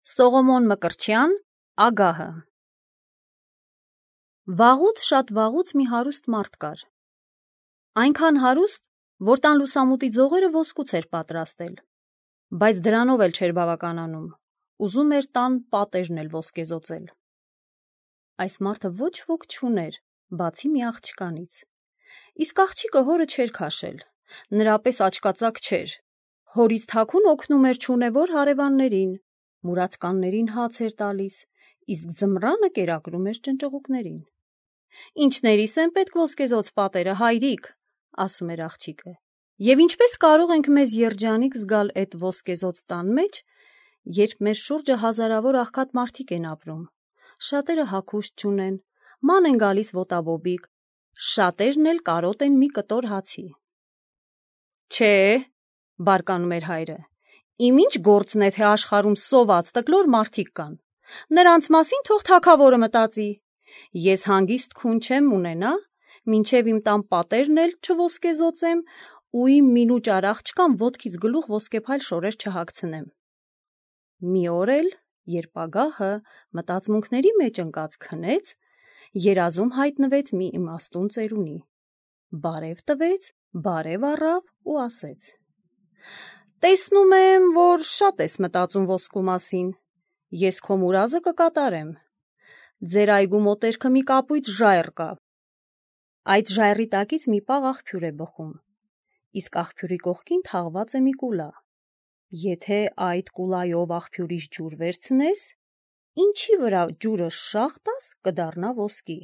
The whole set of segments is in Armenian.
Սողոմոն Մկրտչյան, Ագահը։ Վաղուց, շատ վաղուց մի հարուստ մարդ կար։ Այնքան հարուստ, որ տան լուսամուտի ձողերը ոսկուց էր պատրաստել, բայց դրանով էլ չէր բավականանում, ուզում էր տան պատերն էլ ոսկեզօծել։ Այս մարդը ոչ ոք չուներ, բացի մի աղջկանից։ Իսկ աղջիկը հորը չէր քաշել, նրա պես աչկածակ չէր, հորից թաքուն օգնում էր չունևոր հարևաններին, մուրացկաններին հաց էր տալիս, իսկ ձմռանը կերակրում էր ճնճղուկներին։ Ինչներիս են պետք ոսկեզօծ պատերը, հայրիկ, ասում էր աղջիկը, և ինչպես կարող ենք մեզ երջանիկ զգալ այդ ոսկեզօծ տան մեջ, երբ մեր շուրջը հազարավոր աղքատ մարդիկ են ապրում, շատերը հագուստ չունեն, ման են գալիս ոտաբոբիկ, շատերն էլ կարոտ են մի կտոր հացի։ Չէ, բարկանում էր հայրը, իմ ինչ գործն է, թե աշխարհում սոված տկլոր մարդիկ կան, նրանց մասին թող թագավորը մտածի, ես հանգիստ քուն չեմ ունենա, մինչև իմ տան պատերն էլ չոսկեզօծեմ ու իմ մինուճար աղջկան ոտքից գլուխ ոսկեփայլ շորեր չհագցնեմ։ Մի օր էլ, երբ Ագահը մտածմունքների մեջ ընկած քնեց, երազում հայտնվեց մի իմաստուն ծերունի, բարև տվեց, բարև առավ ու ասեց. Տեսնում եմ, որ շատ ես մտածում ոսկու մասին, ես քո մուրազը կկատարեմ, ձեր այգու մոտերքը մի կապույտ ժայռ կա, այդ ժայռի տակից մի պաղ աղբյուր է բխում, իսկ աղբյուրի կողքին թաղված է մի կուլա, եթե այդ կուլայով աղբյուրից ջուր վերցնես, ինչի վրա ջուրը շաղ տաս, կդառնա ոսկի,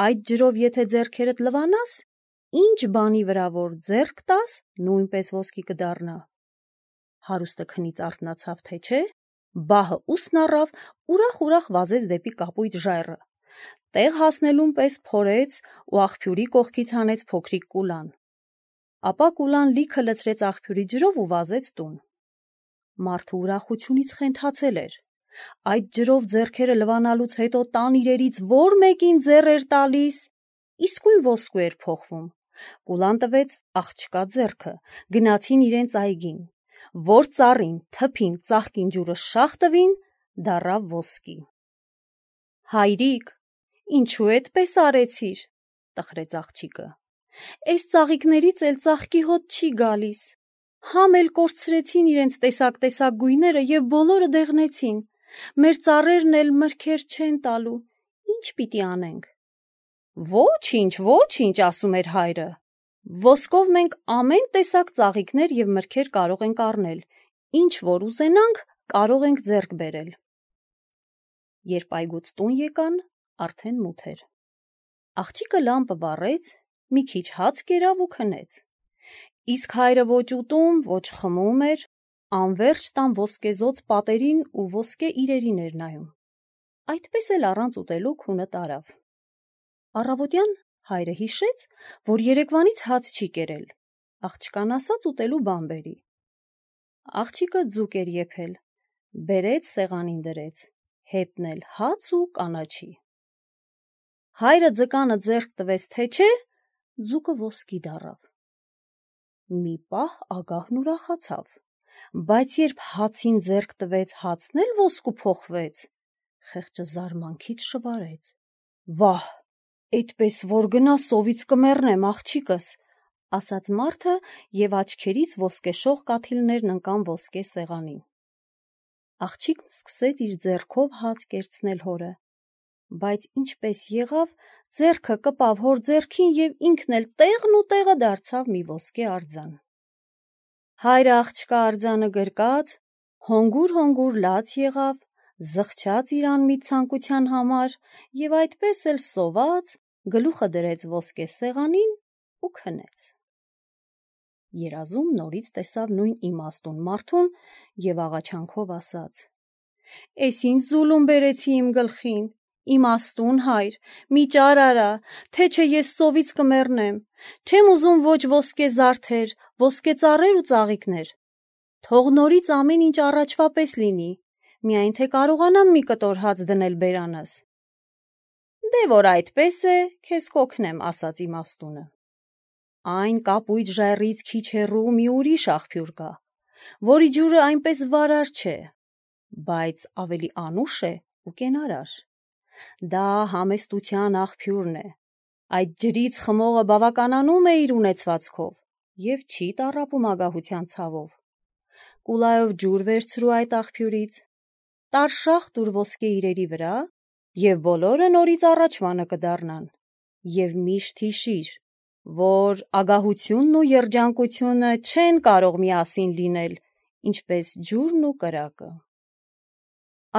այդ ջրով եթե ձեռքերդ լվանաս, ինչ բանի վրա որ ձեռք տաս, նույնպես ոսկի կդառնա։ Հարուստը քնից արթնացավ, թե չէ, բահը ուսն առավ, ուրախ վազեց դեպի կապույտ ժայռը, տեղ հասնելուն պես փորեց ու աղբյուրի կողքից հանեց փոքրիկ կուլան, ապա կուլան լիքը լցրեց աղբյուրի ջրով ու վազեց տուն։ Մարդը ուրախությունից խենթացել էր, այդ ջրով ձեռքերը լվանալուց հետո տան իրերից որ մեկին ձեռ էր տալիս, իսկույն ոսկու էր փոխվում, կուլան տվեց աղջկա ձեռքը, գնացին իրենց այգին, որ ծառին, թփին, ծաղկին ջուրը շաղ տվին, դառավ ոսկի։ Հայրիկ, ինչու էդպես արեցիր, տխրեց աղջիկը, էս ծաղիկներից էլ ծաղկի հոտ չի գալիս, համ էլ կորցրեցին իրենց տեսակ գույները և բոլորը դեղնեցին, մեր ծառերն էլ մրգեր չեն տալու, ինչ պիտի անենք։ Ոչինչ, ասում էր հայրը, ոսկով մենք ամեն տեսակ ծաղիկներ և մրգեր կարող ենք առնել, ինչ որ ուզենանք, կարող ենք ձեռք բերել։ Երբ այգուց տուն եկան, արդեն մութ էր։ Աղջիկը լամպը վառեց, մի քիչ հաց կերավ ու քնեց, իսկ հայրը ոչ ուտում, ոչ խմում էր, անվերջ տան ոսկեզօծ պատերին ու ոսկե իրերին էր նայում, այդպես էլ առանց ուտելու քունը տարավ։ Առավոտյան հայրը հիշեց, որ երեկվանից հաց չի կերել, աղջկան ասաց ուտելու բան բերի։ Աղջիկը ձուկ էր եփել, բերեց սեղանին դրեց, հետն էլ հաց ու կանաչի։ Հայրը ձկանը ձեռք տվեց, թե չէ, ձուկը ոսկի դառավ։ Մի պահ Ագահն ուրախացավ, բայց երբ հացին ձեռք տվեց, հացն էլ ոսկու փոխվեց, խեղճը զարմանքից շվարեց։ Վահ, էդպես որ գնա սովից կմեռնեմ, աղջիկս, ասաց մարդը և աչքերից ոսկեշող կաթիլներն ընկան ոսկե սեղանին։ Աղջիկն սկսեց իր ձեռքով հաց կերցնել հորը, բայց ինչպես եղավ, ձեռքը կպավ հոր ձեռքին և ինքն էլ տեղն ու տեղը դարձավ մի ոսկե արձան։ Հայրը աղջկա արձանը գրկած, հոնգուր լաց եղավ, զղջաց իր անմիտ ցանկության համար և այդպես էլ սոված, գլուխը դրեց ոսկե սեղանին ու քնեց։ Երազում նորից տեսավ նույն իմաստուն մարդուն և աղաչանքով ասաց. Էս ինչ զուլում բերեցի իմ գլխին, իմաստուն հայր, մի ճար արա, թե չէ ես սովից կմեռնեմ, չեմ ուզում ոչ ոսկե զարդեր, ոսկե ծառեր ու ծաղիկներ, թող նորից ամեն ինչ առաջվա պես լինի, միայն թե կարողանամ մի կտոր հաց դնել բերանս։ Դե որ այդպես է, քեզ կօգնեմ, ասաց իմաստունը։ Այն կապույտ ժայռից քիչ հեռու մի ուրիշ աղբյուր կա, որի ջուրը այնպես վարար չէ, բայց ավելի անուշ է ու կենարար։ Դա համեստության աղբյուրն է։ Այդ ջրից խմողը բավականանում է իր ունեցվածքով և չի տառապում ագահության ցավով։ Կուլայով ջուր վերցրու այդ աղբյուրից, տարշախ տուր ոսկե իրերի վրա, և բոլորը նորից առաջվանը կդառնան։ Եվ միշտ հիշիր, որ ագահությունն ու երջանկությունը չեն կարող միասին լինել, ինչպես ջուրն ու կրակը։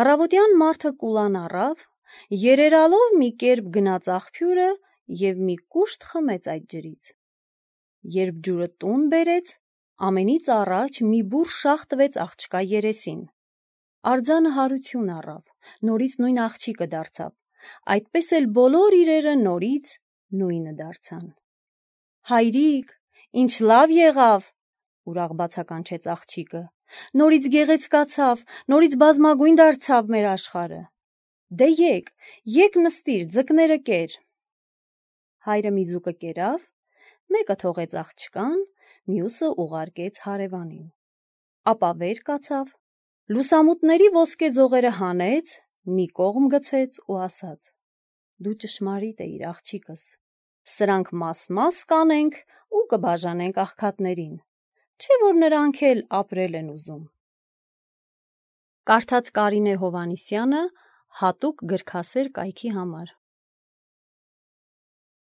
Առավոտյան մարդը կուլան առավ, երերալով մի կերպ գնաց աղբյուրը և մի կուշտ խմեց այդ ջրից։ Երբ ջուրը տուն բերեց, ամենից առաջ մի բուռ շաղ տվեց աղջկա երեսին։ Արձանը հարություն առավ, նորից նույն աղջիկը դարձավ, այդպես էլ բոլոր իրերը նորից նույնը դարձան։ Հայրիկ, ինչ լավ եղավ, ուրախ բացականչեց աղջիկը, նորից գեղեցկացավ, նորից բազմագույն դարձավ մեր աշխարհը։ Դե եկ նստիր, ձկները կեր։ Հայրը մի ձուկը կերավ, մեկը թողեց աղջկան, մյուսը ուղարկեց հարևանին։ Ապա վեր կացավ, լուսամուտների ոսկե ձողերը հանեց, մի կողմ գցեց ու ասաց. «Դու ճշմարիտ էիր, աղջիկս, սրանք մաս-մաս կանենք ու կբաժանենք աղքատներին, չէ՞ որ նրանք էլ ապրել են ուզում»։ Կարդաց Կարինե Հովհաննիսյանը հատուկ գրքասեր կայքի համար։